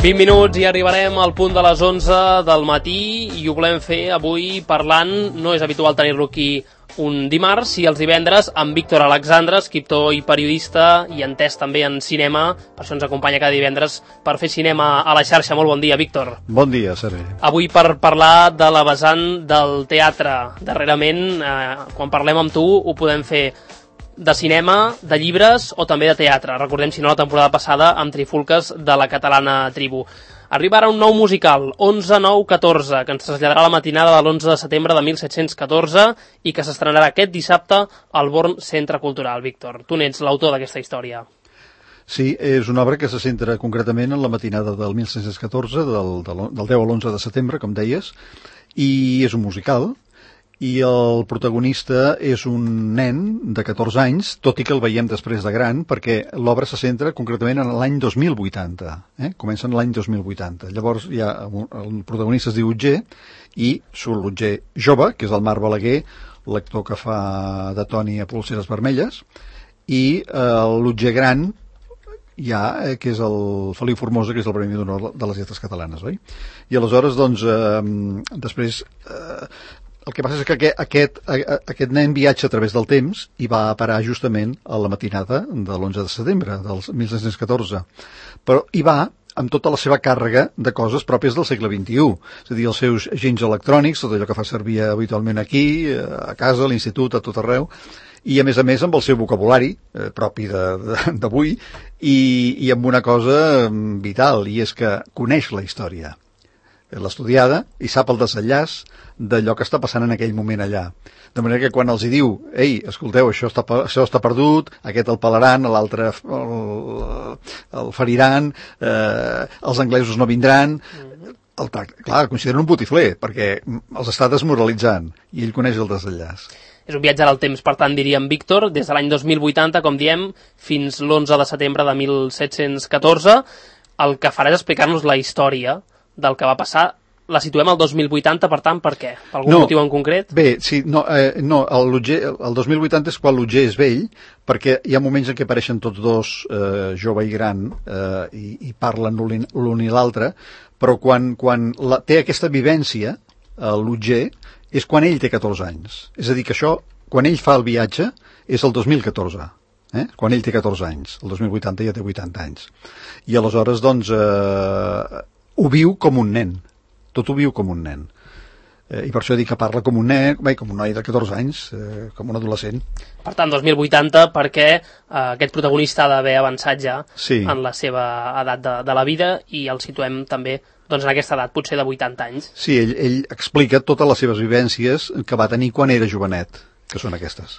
20 minuts i arribarem al punt de les 11 del matí i ho volem fer avui parlant, no és habitual tenir-lo aquí un dimarts, i els divendres amb Víctor Alexandre, escriptor i periodista i entès també en cinema, per això ens acompanya cada divendres per fer cinema a la xarxa. Molt bon dia, Víctor. Bon dia, Sergi. Avui per parlar de la vessant del teatre. Darrerament, quan parlem amb tu, ho podem fer de cinema, de llibres o també de teatre. Recordem, si no, la temporada passada amb Trifulques de la catalana Tribu. Arriba ara un nou musical, 11-9-14, que ens traslladarà la matinada de l'11 de setembre de 1714 i que s'estrenarà aquest dissabte al Born Centre Cultural. Víctor, tu n'ets l'autor d'aquesta història. Sí, és una obra que se centra concretament en la matinada del 1714, del 10 a l'11 de setembre, com deies, i és un musical, i el protagonista és un nen de 14 anys, tot i que el veiem després de gran, perquè l'obra se centra concretament en l'any 2080, comença en l'any 2080. Llavors el protagonista es diu Otger, i surt l'Otger jove, que és el Marc Balaguer, l'actor que fa de Toni a Polseres Vermelles, i l'Otger gran, que és el Feliu Formosa, que és el Premi d'Honor de les Lletres Catalanes, oi? I aleshores, doncs, després... El que passa és que aquest nen viatja a través del temps i va parar justament a la matinada de l'11 de setembre del 1714. Però hi va amb tota la seva càrrega de coses pròpies del segle XXI. És a dir, els seus agents electrònics, tot allò que fa servir habitualment aquí, a casa, a l'institut, a tot arreu, i a més amb el seu vocabulari propi d'avui i amb una cosa vital, i és que coneix la història. L'ha estudiada i sap el desenllaç d'allò que està passant en aquell moment allà. De manera que quan els hi diu, ei, escolteu, això està perdut, aquest el pelaran, l'altre el feriran, els anglesos no vindran... Clar, el consideren un botifler, perquè els està desmoralitzant, i ell coneix el desenllaç. És un viatge al temps, per tant, diríem, Víctor, des de l'any 2080, com diem, fins l'11 de setembre de 1714. El que farà és explicar-nos la història del que va passar. La situem al 2080, per tant, per què? Per algun motiu en concret? Bé, sí, el 2080 és quan l'Otger és vell, perquè hi ha moments en què apareixen tots dos, jove i gran, i parlen l'un i l'altre, però quan té aquesta vivència, l'Otger, és quan ell té 14 anys. És a dir, que això, quan ell fa el viatge, és el 2014. Quan ell té 14 anys. El 2080 ja té 80 anys. I aleshores, doncs, ho viu com un nen. Tot ho viu com un nen. I per això dic que parla com un nen, com un noi de 14 anys, com un adolescent. Per tant, 2080, perquè aquest protagonista ha d'haver avançat ja en la seva edat de la vida, i el situem també en aquesta edat, potser de 80 anys. Sí, ell explica totes les seves vivències que va tenir quan era jovenet, que són aquestes.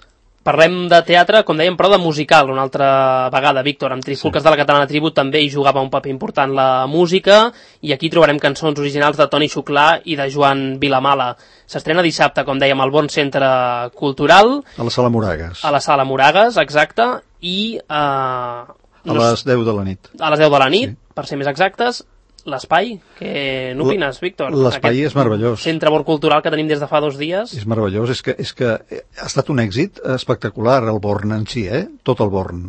Parlem de teatre, com dèiem, però de musical, una altra vegada, Víctor. Amb Trifulques de la catalana Tribu també hi jugava un paper important la música, i aquí trobarem cançons originals de Toni Xuclà i de Joan Vilamala. S'estrena dissabte, com dèiem, al Born Centre Cultural. A la Sala Moragues. A la Sala Moragues, exacte, i... a les 10 de la nit. A les 10 de la nit, per ser més exactes. L'espai, què n'opines, Víctor? L'espai és meravellós. Centre Born Cultural que tenim des de fa 2 dies. És meravellós, és que ha estat un èxit espectacular el Born en si, tot el Born.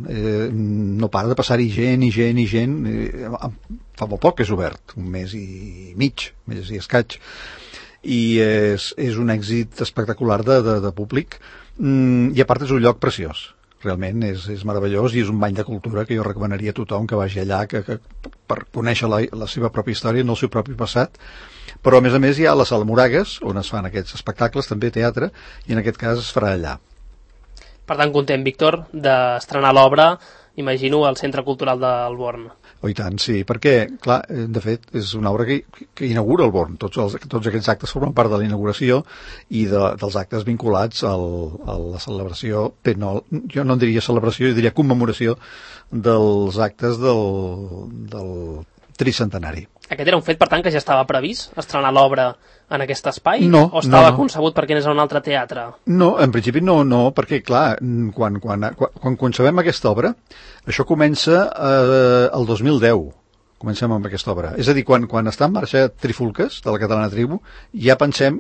No para de passar-hi gent i gent i gent. Fa molt poc que és obert, un mes i mig, mes i escaig. I és un èxit espectacular de públic, i a part és un lloc preciós. Realment és meravellós, i és un bany de cultura que jo recomanaria a tothom que vagi allà per conèixer la seva pròpia història, no el seu propi passat. Però a més hi ha la Sala Moragues, on es fan aquests espectacles, també teatre, i en aquest cas es farà allà. Per tant, content, Víctor, d'estrenar l'obra, imagino, al Centre Cultural del Born. Oh, i tant, sí, perquè, clar, de fet, és una obra que inaugura el Born. Tots aquests actes formen part de la inauguració i dels actes vinculats a la celebració, jo no en diria celebració, jo diria commemoració dels actes del tricentenari. Aquest era un fet, per tant, que ja estava previst, estrenar l'obra en aquest espai? No. O estava concebut perquè anés a un altre teatre? No, en principi no, perquè, clar, quan concebem aquesta obra, això comença el 2010, comencem amb aquesta obra. És a dir, quan està en marxa Trifulques, de la catalana Tribu, ja pensem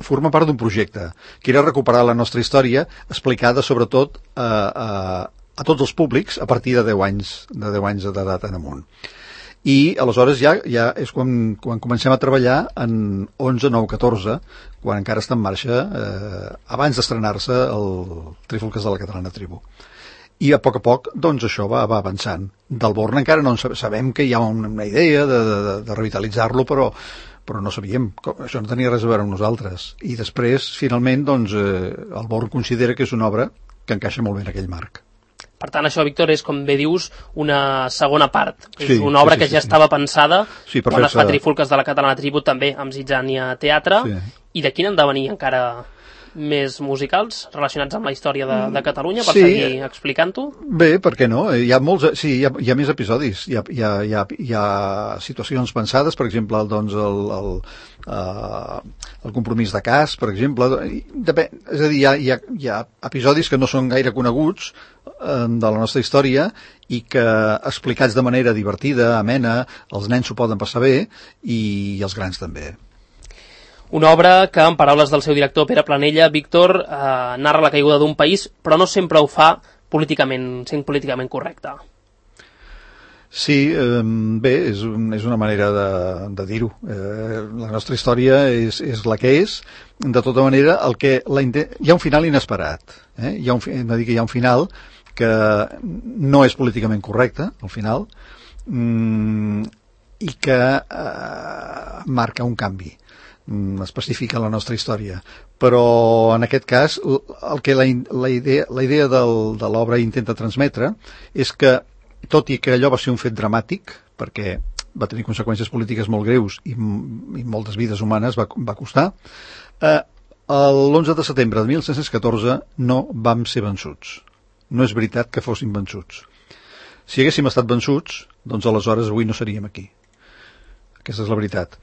forma part d'un projecte, que era recuperar la nostra història, explicada sobretot a tots els públics a partir de 10 anys d'edat en amunt. i aleshores ja és quan comencem a treballar en 11, 9, 14, quan encara està en marxa, abans d'estrenar-se el Trifulques de la Catalana Tribu. I a poc, doncs això va avançant. Del Born encara no sabem que hi ha una idea de revitalitzar-lo, però no sabíem, això no tenia res a veure amb nosaltres. I després, finalment, doncs, el Born considera que és una obra que encaixa molt bé en aquell marc. Per tant, això, Víctor, és, com bé dius, una segona part. És una obra que ja estava pensada quan es fa Trifulques de la Catalana Tribu, també amb Zitzània Teatre, i de quin han de venir encara més musicals relacionats amb la història de Catalunya, per seguir explicant-ho? Bé, per què no? Hi ha molts, hi ha més episodis. Hi ha situacions pensades, per exemple, doncs el compromís de cas, per exemple. És a dir, hi ha episodis que no són gaire coneguts de la nostra història i que, explicats de manera divertida, amena, els nens s'ho poden passar bé i els grans també. Una obra que, en paraules del seu director Pere Planella, Víctor, narra la caiguda d'un país, però no sempre ho fa sent políticament correcte. Sí, bé, és una manera de dir-ho. La nostra història és la que és. De tota manera, hi ha un final inesperat. Hi ha un final que no és políticament correcte, al final, i que marca un canvi específica a la nostra història. Però en aquest cas el que la idea de l'obra intenta transmetre és que, tot i que allò va ser un fet dramàtic, perquè va tenir conseqüències polítiques molt greus i moltes vides humanes va costar, l'11 de setembre de 1714 no vam ser vençuts. No és veritat que fóssim vençuts. Si haguéssim estat vençuts, doncs aleshores avui no seríem aquí. Aquesta és la veritat.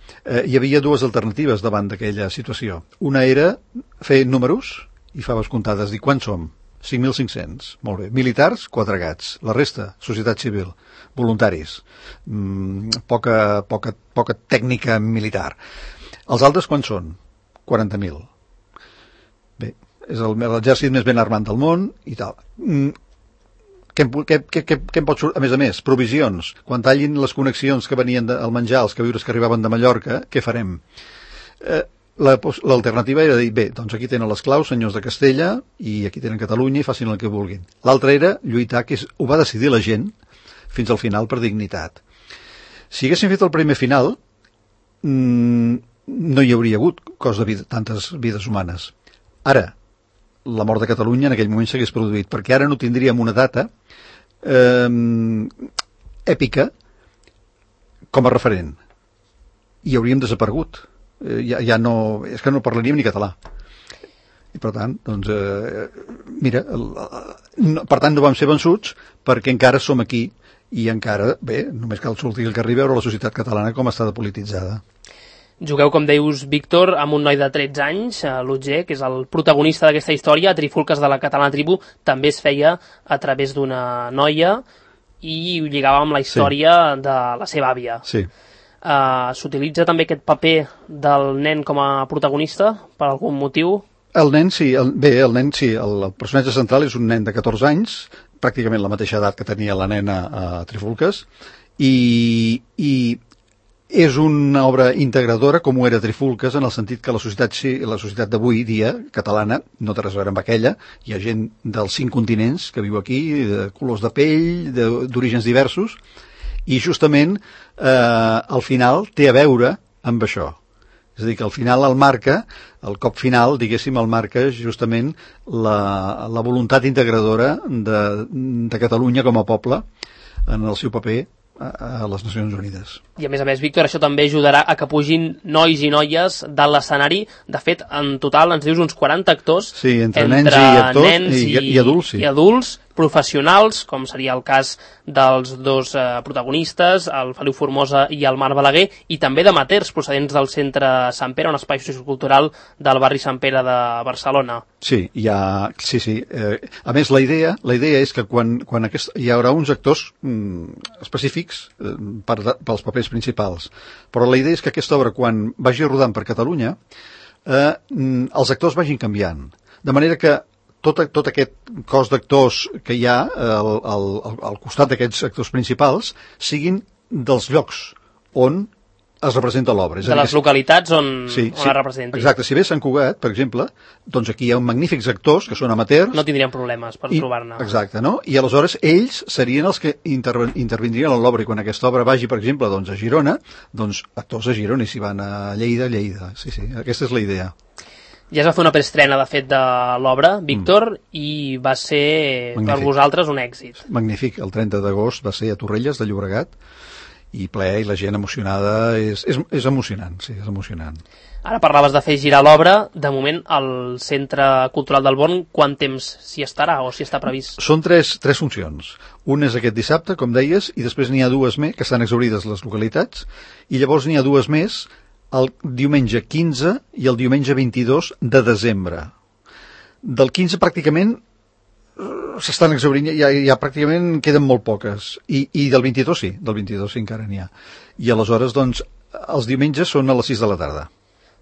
Hi havia dues alternatives davant d'aquella situació. Una era fer números i faves comptades, dir quants som? 5.500. Molt bé. Militars, 4 gats. La resta, societat civil. Voluntaris. Poca tècnica militar. Els altres quants són? 40.000. Bé, és l'exèrcit més ben armat del món i tal. Què em pot sortir? A més, provisions. Quan tallin les connexions que venien al menjar, els queviures que arribaven de Mallorca, què farem? L'alternativa era dir, bé, doncs aquí tenen les claus, senyors de Castella, i aquí tenen Catalunya, i facin el que vulguin. L'altra era lluitar, que ho va decidir la gent, fins al final, per dignitat. Si haguéssim fet el primer final, no hi hauria hagut tantes vides humanes. Ara, la mort de Catalunya en aquell moment s'hagués produït, perquè ara no tindríem una data èpica com a referent. I hauríem desaparegut. Ja no, és que no parlaríem ni català. I per tant, doncs, per tant no vam ser vençuts perquè encara som aquí i encara, bé, només cal sortir al carrer i veure la societat catalana com està depolititzada. Jugueu, com deius, Víctor, amb un noi de 13 anys, l'Otger, que és el protagonista d'aquesta història. A Trifulques de la Catalana Tribu també es feia a través d'una noia i ho lligava amb la història de la seva àvia. Sí. S'utilitza també aquest paper del nen com a protagonista per algun motiu? El nen sí, el personatge central és un nen de 14 anys, pràcticament la mateixa edat que tenia la nena a Trifulques, i és una obra integradora com ho era Trifulques, en el sentit que la societat d'avui dia, catalana, no té res a veure amb aquella. Hi ha gent dels 5 continents que viu aquí, de colors de pell, d'orígens diversos, i justament al final té a veure amb això. És a dir, que al final el cop final, diguéssim, el marca justament la voluntat integradora de Catalunya com a poble en el seu paper a les Nacions Unides. I a més, Víctor, això també ajudarà a que pugin nois i noies de l'escenari. De fet, en total ens dius uns 40 actors, sí, entre nens i actors i adults, sí. I adults, professionals, com seria el cas dels dos protagonistes, el Feliu Formosa i el Marc Balaguer, i també d'amateurs procedents del Centre Sant Pere, un espai sociocultural del barri Sant Pere de Barcelona. Sí, sí. A més, la idea és que quan hi haurà uns actors específics pels papers principals, però la idea és que aquesta obra, quan vagi rodant per Catalunya, els actors vagin canviant, de manera que tot aquest cos d'actors que hi ha al costat d'aquests actors principals siguin dels llocs on es representa l'obra. De les localitats on es representi. Exacte, si ve Sant Cugat, per exemple, doncs aquí hi ha magnífics actors que són amateurs. No tindrien problemes per trobar-ne. Exacte, no? I aleshores ells serien els que intervindrien en l'obra, i quan aquesta obra vagi, per exemple, doncs a Girona, doncs actors a Girona, i si van a Lleida, Lleida. Sí, aquesta és la idea. Ja es va fer una preestrena, de fet, de l'obra, Víctor, i va ser per vosaltres un èxit. Magnífic, el 30 d'agost va ser a Torrelles de Llobregat, i ple, i la gent emocionada, és emocionant, sí, és emocionant. Ara parlaves de fer girar l'obra, de moment al Centre Cultural del Born, quant temps s'hi estarà o s'hi està previst? Són tres funcions. Una és aquest dissabte, com deies, i després n'hi ha dues més, que estan exhaurides les localitats, i llavors n'hi ha dues més el diumenge 15 i el diumenge 22 de desembre. Del 15 pràcticament s'estan exhaurint, ja pràcticament queden molt poques, i del 22 sí, encara n'hi ha. I aleshores, doncs, els diumenges són a les 6 de la tarda.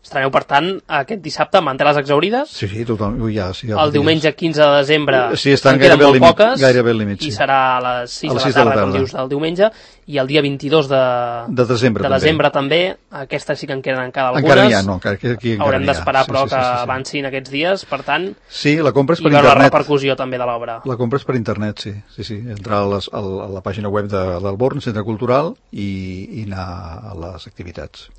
Estreneu, per tant, aquest dissabte amb les exhaurides? Sí, tothom, sí. El diumenge 15 de desembre estan queden molt poques, gairebé al límit, i serà a les 6 de la tarda, com dius, del diumenge, i el dia 22 de desembre també, aquestes sí que en queden encara algunes. Encara n'hi ha, no, aquí haurem d'esperar, però que avancin aquests dies, per tant, sí, la compra és per internet. I veure la repercussió també de l'obra. La compra és per internet, sí. Entrar a la pàgina web del Born, Centre Cultural, i anar a les activitats.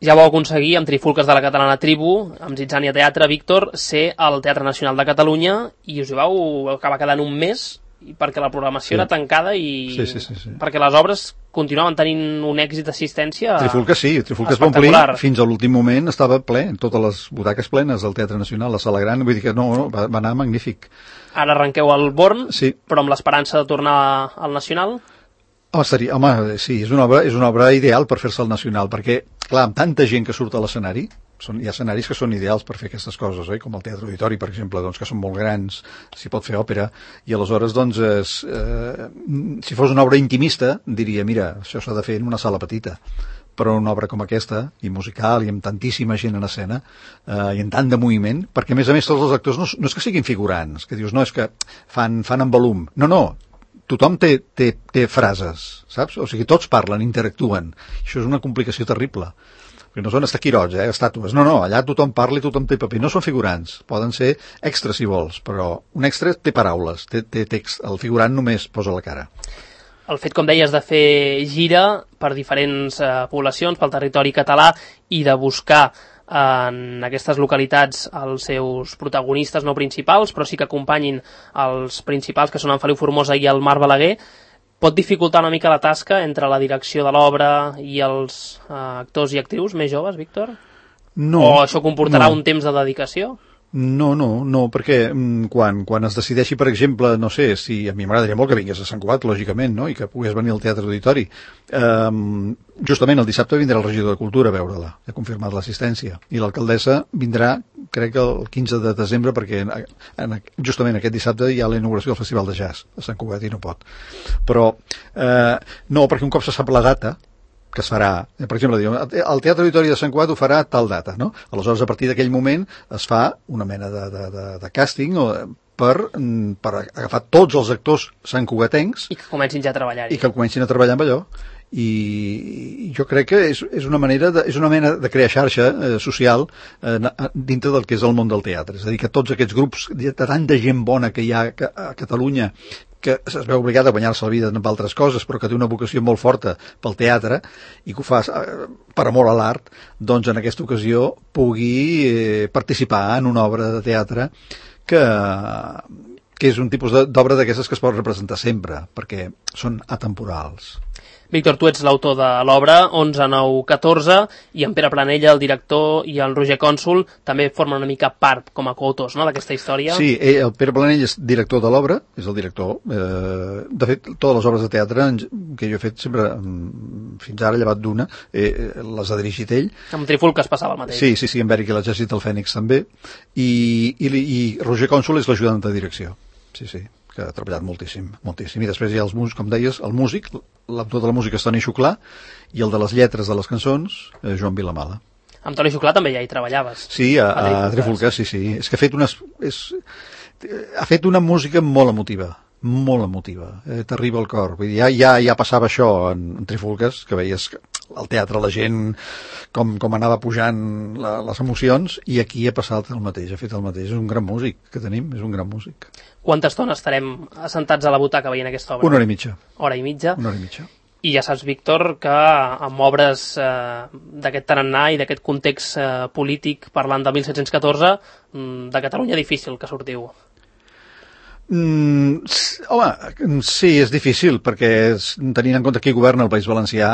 Ja vau aconseguir, amb Trifulques de la Catalana Tribu, amb Zitzània Teatre, Víctor, ser al Teatre Nacional de Catalunya, i us hi vau acabar quedant un mes, perquè la programació era tancada i perquè les obres continuaven tenint un èxit d'assistència. Trifulques va omplir, fins a l'últim moment estava ple, totes les butaques plenes del Teatre Nacional, la Sala Gran, vull dir que va anar magnífic. Ara arrenqueu al Born, però amb l'esperança de tornar al Nacional? Home, sí, és una obra ideal per fer-se al Nacional, perquè, clar, amb tanta gent que surt a l'escenari, hi ha escenaris que són ideals per fer aquestes coses, com el Teatre Auditori, per exemple, doncs, que són molt grans, s'hi pot fer òpera, i aleshores, doncs, si fos una obra intimista, diria, mira, això s'ha de fer en una sala petita, però una obra com aquesta, i musical, i amb tantíssima gent en escena, i amb tant de moviment, perquè, a més, tots els actors no és que siguin figurants, que dius, no, és que fan en volum, no, tothom té frases, saps? O sigui, tots parlen, interactuen. Això és una complicació terrible. Perquè no són estaquirots, estàtues. No, allà tothom parla i tothom té paper. No són figurants. Poden ser extras, si vols, però un extra té paraules, té text. El figurant només posa la cara. El fet, com deies, de fer gira per diferents poblacions, pel territori català, i de buscar en aquestes localitats els seus protagonistes no principals, però sí que acompanyin els principals, que són en Feliu Formosa i el Marc Balaguer, pot dificultar una mica la tasca entre la direcció de l'obra i els actors i actrius més joves, Víctor? No. O això comportarà un temps de dedicació? No, perquè quan es decideixi, per exemple, no sé, si a mi m'agradaria molt que vingués a Sant Cugat, lògicament, no?, i que pogués venir al Teatre Auditori. Justament el dissabte vindrà el regidor de Cultura a veure-la, ha confirmat l'assistència, i l'alcaldessa vindrà, crec que el 15 de desembre, perquè justament aquest dissabte hi ha la inauguració del Festival de Jazz a Sant Cugat i no pot. Però no, perquè un cop se sap la data que es farà, per exemple, el Teatre Auditori de Sant Cugat ho farà tal data, no? Aleshores, a partir d'aquell moment es fa una mena de càsting per agafar tots els actors santcugatencs i que comencin ja a treballar-hi. I que comencin a treballar amb allò. I jo crec que és una mena de crear xarxa social dintre del que és el món del teatre. És a dir, que tots aquests grups de tanta gent bona que hi ha a Catalunya, que es veu obligat a guanyar-se la vida amb altres coses, però que té una vocació molt forta pel teatre i que ho fa per amor a l'art, doncs en aquesta ocasió pugui participar en una obra de teatre que és un tipus d'obra d'aquestes que es pot representar sempre, perquè són atemporals. Víctor, tu ets l'autor de l'obra 11, 9, 14, i en Pere Planella, el director, i el Roger Cònsul també formen una mica part com a coautors, no?, d'aquesta història. Sí, el Pere Planella és director de l'obra, és el director. De fet, totes les obres de teatre que jo he fet sempre, fins ara, llevat d'una, les ha dirigit ell. Amb Trifulques passava el mateix. Sí, amb Eric i l'Exèrcit del Fènix també. I Roger Cònsul és l'ajudant de direcció. Sí, que ha treballat moltíssim. I després hi ha els músics, com deies, el músic, l'autor de la música és Toni Xuclà, i el de les lletres de les cançons, Joan Vilamala. Amb Toni Xuclà també ja hi treballaves. Sí, a Trifulques, sí. És que ha fet una música molt emotiva, molt emotiva, t'arriba al cor. Vull dir, ja passava això en Trifulques, que veies al teatre la gent com anava pujant les emocions, i aquí ha passat el mateix, ha fet el mateix. És un gran músic que tenim, és un gran músic. Quanta estona estarem assentats a la butaca veient aquesta obra? Una hora i mitja. Hora i mitja? Una hora i mitja. I ja saps, Víctor, que amb obres d'aquest tarannà i d'aquest context polític, parlant de 1714, de Catalunya difícil que sortiu. Home, sí, és difícil, perquè tenint en compte qui governa el País Valencià,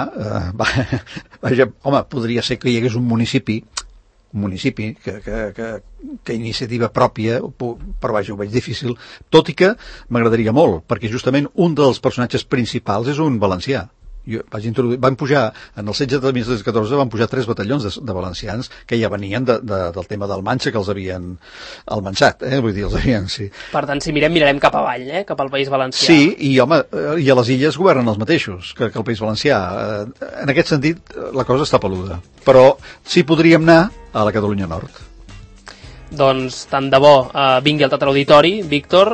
home, podria ser que hi hagués un municipi que iniciativa pròpia, però vaja, ho veig difícil, tot i que m'agradaria molt, perquè justament un dels personatges principals és un valencià. Van pujar, en el setge de 1714 van pujar 3 batallons de valencians que ja venien del tema del Manxa, que els havien almanxat, vull dir, els havien, sí. Per tant, si mirem cap avall, cap al País Valencià. Sí, i home, i a les illes governen els mateixos que el País Valencià. En aquest sentit, la cosa està peluda. Però sí podríem anar a la Catalunya Nord. Doncs tant de bo vingui al Teatre Auditori, Víctor,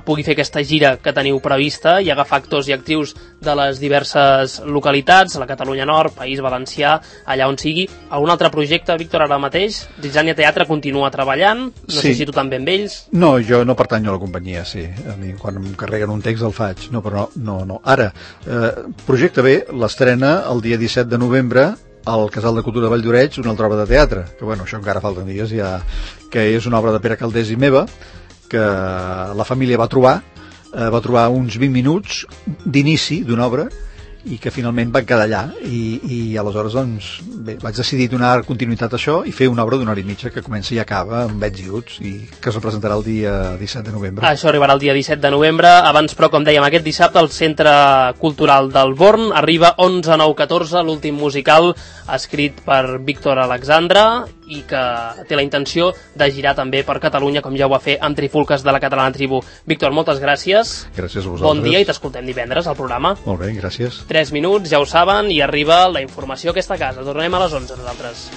pugui fer aquesta gira que teniu prevista i agafar actors i actrius de les diverses localitats, la Catalunya Nord, País Valencià, allà on sigui. Algun altre projecte, Víctor, ara mateix? Zitzània Teatre continua treballant, no sé si tu també amb ells. No, jo no pertanyo a la companyia, sí. A mi, quan em carreguen un text el faig. No, però no. Ara, projecte B l'estrena el dia 17 de novembre al Casal de Cultura de Valldoreix, una altra obra de teatre, que bueno, això encara falten dies ja, que és una obra de Pere Caldés i meva, que la família va trobar uns 20 minuts d'inici d'una obra i que finalment van quedar allà i aleshores doncs bé, vaig decidir donar continuïtat a això i fer una obra d'una hora i mitja que comença i acaba amb Bets i Uts i que es representarà el dia 17 de novembre. Això arribarà el dia 17 de novembre. Abans, però, com dèiem, aquest dissabte al Centre Cultural del Born arriba 11-9-14, l'últim musical escrit per Víctor Alexandre i que té la intenció de girar també per Catalunya, com ja ho va fer amb Trifulques de la Catalana Tribu. Víctor, moltes gràcies. Gràcies a vosaltres. Bon dia i t'escoltem divendres al programa. Molt bé, gràcies. 3 minuts, ja ho saben, i arriba la informació a aquesta casa. Tornem a les 11 nosaltres.